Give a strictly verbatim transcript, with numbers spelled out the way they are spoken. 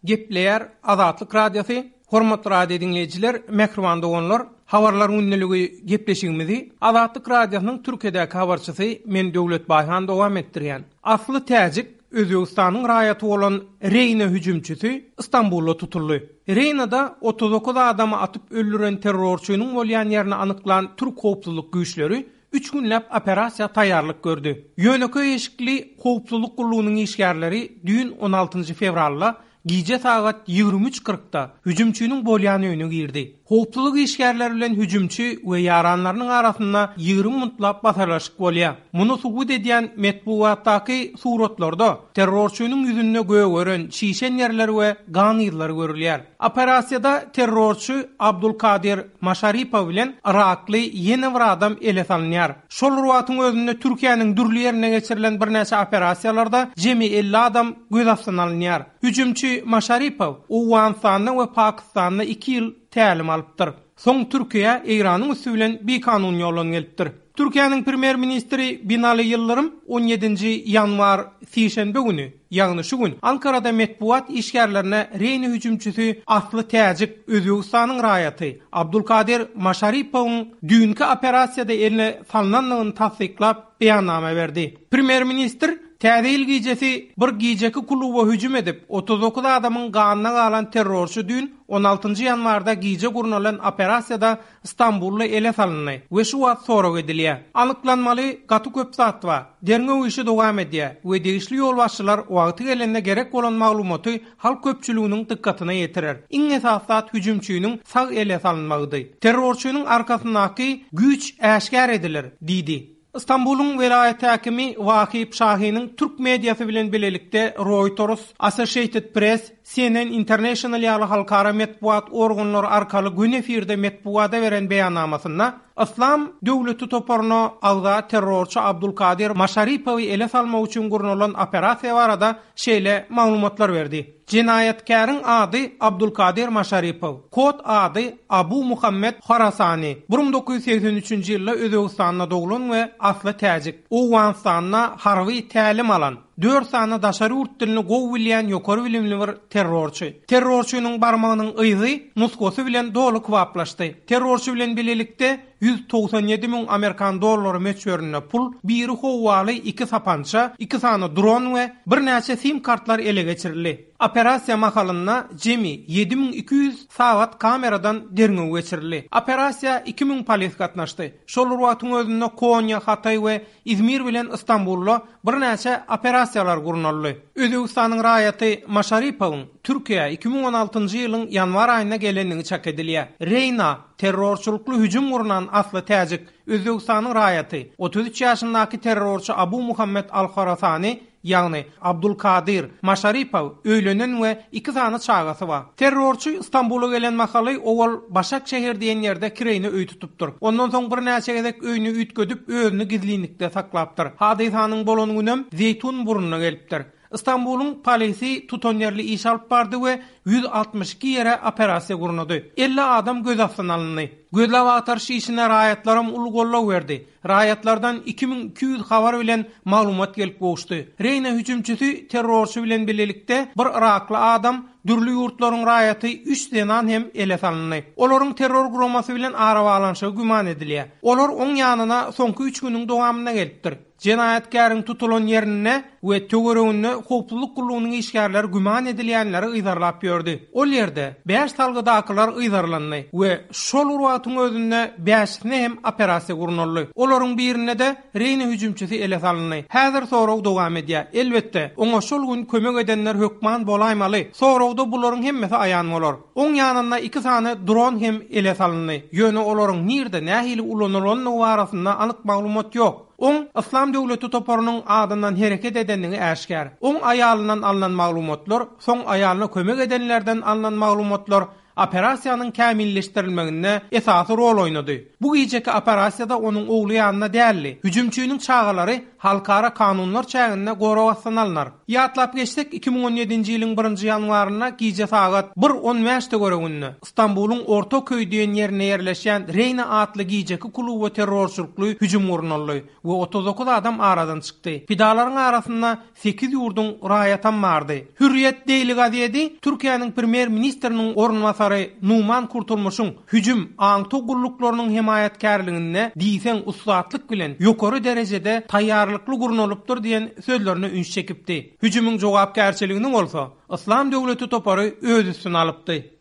Gepleýär Azatlyk Radiosy, hormatly radio dinleýjiler, mähriban doganlar, habarlar gündeligi gepleşigimizi Azatlyk Radiosynyň Türkiýedäki habarçysy men Döwlet Baýhan dowam etdirýän. Asly täjik Özbegistanyň raýaty bolan Reýna hüjümçisi Istanbulda tutuldy. Reýnada otuz dokuz adamy atyp öldüren terrorçynyň bolýan ýerini anyklan Türk howpsuzlyk güýçleri üç günläp operasiýa taýýarlyk gördi. Ýönekeý eşikli howpsuzlyk gullugynyň işgärleri düýn on altynjy fewralda gije sagat ýigrimi üç kyrkda hüjümçiniň bolýan öýüne girdi. Howpsuzlyk işgärleri bilen hüjümçi we ýaranlarynyň arasynda ýigrimi minutlap basalaşyk bolýar. Muny subut edýän metbugatdaky suratlarda terrorçynyň ýüzünde gögeren şişen ýerler we gan yzlary görülýär. Operasiýada terrorçy Abdulkadir Maşaripow bilen Irakly ýene bir adam ele salynýar. Şol wagtyň özünde Türkiýäniň dürli ýerine geçirilen birnäçe operasiýalarda jemi elli adam göz astyna alynýar. Hüjümçi Maşaripow Owganystanda we Pakistanda iki ýyl tälim alypdyr. Soň Türkiýe Eýranyň üstü bilen bikanun ýoldan gelipdir. Türkiýäniň premýer ministri Binali Ýyldyrym on ýedinji ýanwar sişenbe güni, ýagny şu gün Ankarada metbugat işgärlerine Reýna hüjümçisi asly täjik Özbegistanyň raýaty Abdulkadir Maşaripowyň düýnki operasiýada eline salynandygyny tassyklap beýannama berdi. Premýer ministr Täze ýyl gijesi bir gijeki kluba hüjüm edip, otuz dokuz adamyň ganyna galan terrorçy düýn on altynjy ýanwarda gije gurnalan operasiýada Istanbulda ele salyndy we şu wagt sorag edilýär. Anyklanmaly gaty köp zat bar. Derňew işi dowam edýär we degişli ýolbaşçylar wagty gelende gerek bolan maglumaty halk köpçüliginiň dykgatyna ýetirer. Iň esasy zat hüjümçiniň sag ele salynmagydy. Terrorçynyň arkasyndaky güýç äşgär edilir, diýdi. Istanbul'un vilayet hakimi Vahip Şahin'in Türk medyası bilen birlikde Reuters, Associated Press, C N N International ýaly halkara metbugat organlary arkaly gün efirde metbugata beren beýannamasynda Islam döwleti toparyna agza terrorçy Abdulkadir Maşaripowy ele salmak üçin gurnalan operasiýa barada şeýle maglumatlar berdi. Jenaýatkäriň ady Abdulkadir Maşaripow, kod ady Abu Muhammed Horasani. bir müň dokuz ýüz segsen üçünji ýylda Özbegistanda doglan we asly täjik. Owganystanda harby tälim alan, dört sany daşary ýurt dilini gowy bilýän ýokary bilimli bir terrorçy. Terrorçynyň barmagynyň yzy nusgasy bilen doly kybaplaşdy. Terrorçy bilen birlikde ýüz togsan ýedi müň Amerikan dollary möçberinde pul, biri howwaly iki sapança, iki sany dron we birnäçe sim kartlar ele geçirildi. Operasiýa mahalynda jemi ýedi müň iki ýüz sagat kameradan derňew geçirildi. Operasiýa iki müň polis gatnaşdy. Şol wagtyň özünde Konýa, Hatay we Izmir bilen Istanbulda birnäçe operasiýalar gurnaldy. Özbegistanyň raýaty Maşaripowyň Türkiýä iki müň on altynjy ýylyň ýanwar aýynda gelenligi çak edilýär. Reýna terrorçylykly hüjüm gurnan asly täjik Özbegistanyň raýaty otuz üç ýaşyndaky terrorçy Abu Muhammed Al-Horasani, ýagny Abdulkadir Maşaripow öýlenen we iki sany çagasy bar. Terrorçy Istanbula gelen mahaly owal Başakşehir diýen ýerde kireýne öý tutupdyr. Ondan soň birnäçe gezek öýüni üýtgedip özüni gizlinlikde saklapdyr. Hadysanyň bolan günem Zeýtun burnuna gelipdir. Istanbul'un polisi tutan ýerli iş alyp bardy we ýüz altmyş iki ýere operasiýa gurnady. elli adam göz astyna alyndy. Gözläp agtaryş işine raýatlaram uly gollag berdi. Raýatlardan iki müň iki ýüz habar bilen maglumat gelip gowuşdy. Reýna hüjümçisi terrorçy bilen birlikde bir Irakly adam, dürli ýurtlaryň raýaty üç zenan hem ele salyndy. Olaryň terror guramasy bilen arabaglanyşygy güman edilýär. Olar oň ýanyna soňky üç günüň dowamynda gelipdir. Jenaýatkäriň tutulan ýerinde we töwereginde howpsuzlyk gullugynyň işgärleri güman edilýänleri yzarlap ýördi. Ol ýerde bäş salgydakylar yzarlandy we şol wagtyň özünde bäşisine hem operasiýa gurnaldy. Olaryň birinde de Reýna hüjümçisi ele salyndy. Häzir sorag dowam edýär. Elbetde, oňa şol gün kömek edenler hökman bolaýmaly. Soragda bularyň hemmesi aýan bolar. Oň ýanynda iki sany dron hem ele salyndy. Ýöne olaryň nirde nähili ulanylandygy barasynda anyk maglumat ýok. Oň Islam döwleti toparynyň adyndan hereket edenligi äşgär. Oň aýalyndan alynan maglumatlar, soň aýalyna kömek edenlerden alynan maglumatlar operasiýanyň kämilleşdirilmeginde esasy rol oýnady. Bu gijeki operasiýada onuň ogly ýanynda däldi. Hüjümçiniň çagalary halkara kanunlar çäginde gorag astyna alynar. Ýatlap geçsek iki müň on ýedinji ýylyň birinji ýanwarynda gije sagat bir on bäş töwereginde Istanbulyň Ortaköý diýen ýerinde ýerleşýän Reýna atly gijeki kluba terrorçylykly hüjüm gurnaldy we otuz dokuz adam aradan çykdy. Pidalaryň arasynda sekiz ýurduň raýatam bardy. Hürriyet Daily gazeti Türkiýäniň premýer-ministriniň orunbasary Numan Kurtulmuşyň hüjüm aňtaw gulluklarynyň hemaýatkärliginde diýseň ussatlyk bilen ýokary derejede taýýarlykly gurnalypdyr diýen sözlerine üns çekipdi. Hüjümiň jogapkärçiligini bolsa Islam döwleti topary öz üstüne alypdy.